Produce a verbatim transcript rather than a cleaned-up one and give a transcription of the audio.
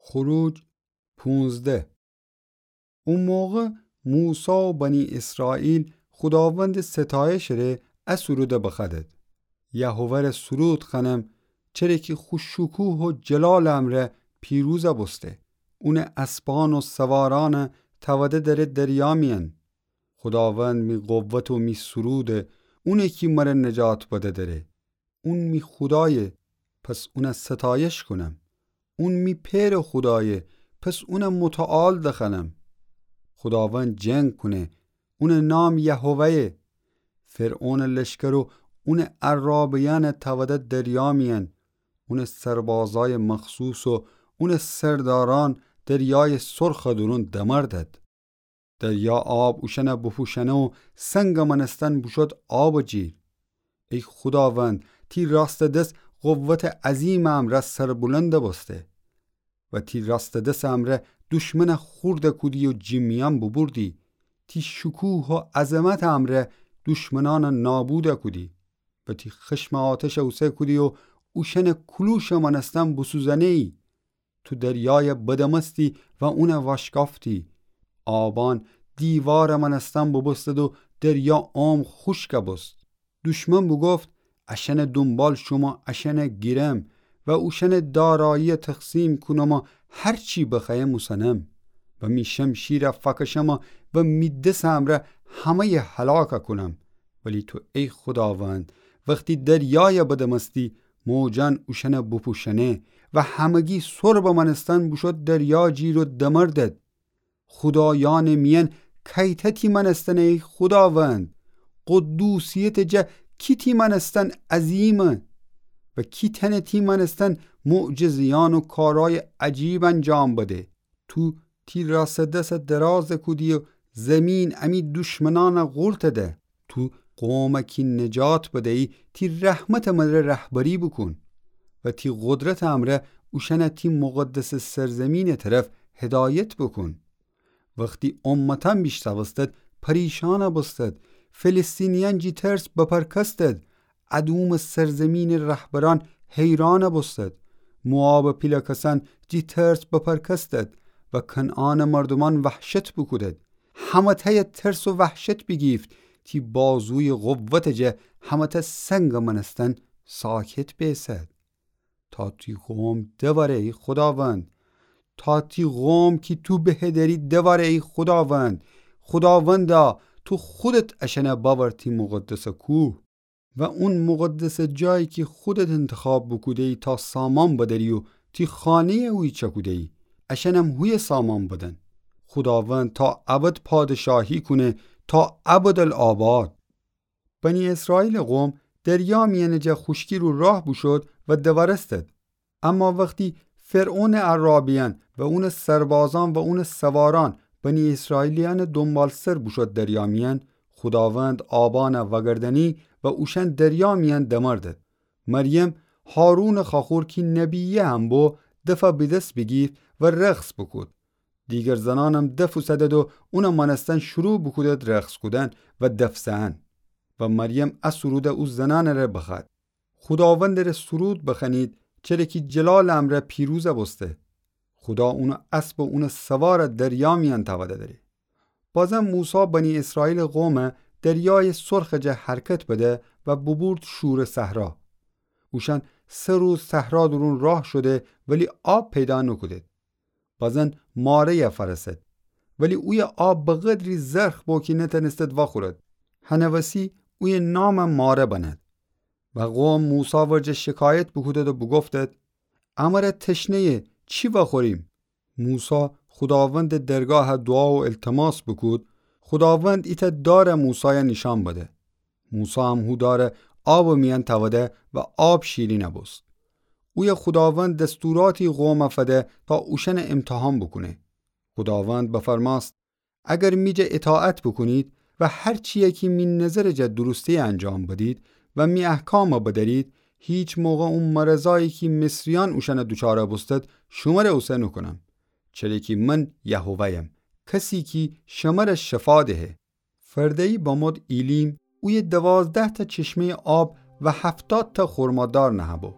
خروج پونزده. او موقع موسی و بنی اسرائیل خوداوندٚ ستایشٚ ره ا سرودَ بخوأدد: یهوه ره سرود خوأنم، چره کی خو شکوه و جلالٚ امرأ پیروز بوسته. اونٚ اسبأن و سوارأنَ تأوده دأره دریا میأن. خوداوند می قوت و می سروده، اونی کی مره نجات بده دأره. اون می خودایه، پس اونَ ستایش کونم. اون می پئرٚ خودایه، پس اونَ متعال دخوأنم. خوداوند جنگ کونه، اونٚ نام یهوه‌یه. فرعونٚ لشکر و اونٚ عرابه‌یأنَ تأوده دریا میأن. اونٚ سربازأیٚ مخصوص و اونٚ سردارأن دریایٚ سرخٚ دورون دمردد. دریا آب اوشأنَ بوپوشأنه و سنگٚ مأنستن بوشود آبٚ جیر. ای خوداوند، تی راستٚ دس قوتٚ عظیمٚ امرأ سربلند بوسته. و تی راستٚ دسٚ امرأ دشمنَ خورد کودی و جٚه میأن بوبوردی. تی شکوه و عظمتٚ امرأ دشمنأنَ نابود کودی. و تی خشمٚ آتشَ اوسه کودی و اوشأنٚ کولوشٚ مأنستن بوسوزأنه‌یی. تو دریایَ بدمستی و اونَ وأشکافتی. آبأن دیوارٚ مأنستن بوبوستد و دریا عمق خوشکَ بوست. دشمن بوگفت: اشأنٚ دونبال شوم و اشأنَ گیرم و اوشأنٚ داراییَ تقسیم کونم و هر چی بخوأیم اوسنم. و می شمشیرَ فأکشم و می دسٚ امرأ همه‌یَ هلاک کونم. ولی تو ای خوداوند، وختی دریایَ بدمستی، موجأن اوشأنَ بوپوشأنه و همگی سربٚ مأنستن بوشو دریا جیر و دمردد. خودایأنٚ میأن کیتأ تی مأنستنه ای خوداوند؟ قدوسیتٚ جا کی تی مأنستن عظیمه؟ و کی تأنه تی مأنستن معجزه‌یأن و کارأیٚ عجیب انجام بده؟ تو تی راستٚ دسَ دراز کودی و زیمین امی دشمنأنَ قورت ده. تو قومَ کی نجات بدیی، تی رحمتٚ مره رهبری بوکون و تی قدرتٚ امرأ اوشأنَ تی مقدسٚ سرزیمینٚ طرف هدایت بوکون. وختی امتأن بیشتأوستد، پریشأن بوستد، فلسطینیأن جٚه ترس بپرکستد، ادومٚ سرزیمینٚ رهبرأن حیرأن بوستد، موآبٚ پیله کسأن جٚه ترس بپرکستد و کنعانٚ مردومأن وحشت بوکودد. همه‌تأیَ ترس و وحشت بیگیفت، تی بازویٚ قوتٚ جا همه‌تأ سنگٚ مأنستن ساکت بیسد. تا تی قوم دوأره ای خوداوند، تا تی قوم کی تو بهدری دوأره ای خوداوند. خوداوندا، تو خودت اشأنَ بأور تی مقدسٚ کوه و اون مقدسٚ جایی کی خودت انتخاب بوکوده‌یی تا سامان بدأری و تی خانه‌یَ اویه چأکوده‌یی، اشأنم هویه سامان بدن. خوداوند تا ابد پادشاهی کونه، تا ابدالآباد. بنی اسرائیلٚ قوم دریا میأنٚ جا خوشکی رو راه بوشود و دوأرستد. اما وختی فرعونٚ عرابیأن و اونٚ سربازأن و اونٚ سوارأن بنی اسرائیلیأنٚ دونبالسر بوشود دریا میأن، خوداوند آبأنَ وأگردأنی و اوشأن دریا میأن دمردد. مریم، هارونٚ خواخور کی نبیه هم بو، دفَ به دس بیگیفت و رقص بوکود. دیگر زنأنم دف اوسدد و اونٚ مأنستن شروع بوکودد رقص کودن و دف زئن. و مریم ا سرودَ او زنأنٚ ره بخوأد: خوداوندٚ ره سرود بخوأنید، چره کی جلالٚ امرأ پیروز بوسته. خودا اونٚ اسب و اونٚ سوارَ دریا میأن تأوده دأره. بازم موسی بنی اسرائیلٚ قومَ دریایٚ سرخٚ جا حرکت بده و بوبورد شورٚ صحرا. اوشأن سه روز صحرا دورون راه شوده، ولی آب پیدا نوکودد. بازن ماره‌یَ فأرسد، ولی اویه آب به قدری زرخ بو کی نتأنستد وأخورد. هنٚ وسی اویه نامَ ماره بنأد. و قوم موسی ورجه شکایت بوکودد و بوگفتد: امره تشنه‌یه، چی وأخوریم؟ موسی خوداوندٚ درگاه دوعا و التماس بوکود، خوداوند ایتأ دارَ موسایَ نیشأن بده. موسی هم هو دارَ آبٚ میأن تأوده و آب شیرین بوست. اویه خوداوند دستوراتی قومَ فده تا اوشأنَ امتحان بوکونه. خوداوند بفرمأست: اگر می جا اطاعت بوکونید و هر چیی کی می نظرٚ جا درسته‌یَ انجام بدید و می احکامَ بدأرید، هیچ موقع او مرضایی کی مصریأن اوشأنَ دوچارَ بوستد، شمره اوسه نوکونم. چره کی من یهوه‌یم، کسی کی شمره شفا دهه. فرده‌یی بمود ایلیم، اویه دوازده‌تأ چشمه‌یٚ آب و هفتادتأ خرمادار نهه‌بو.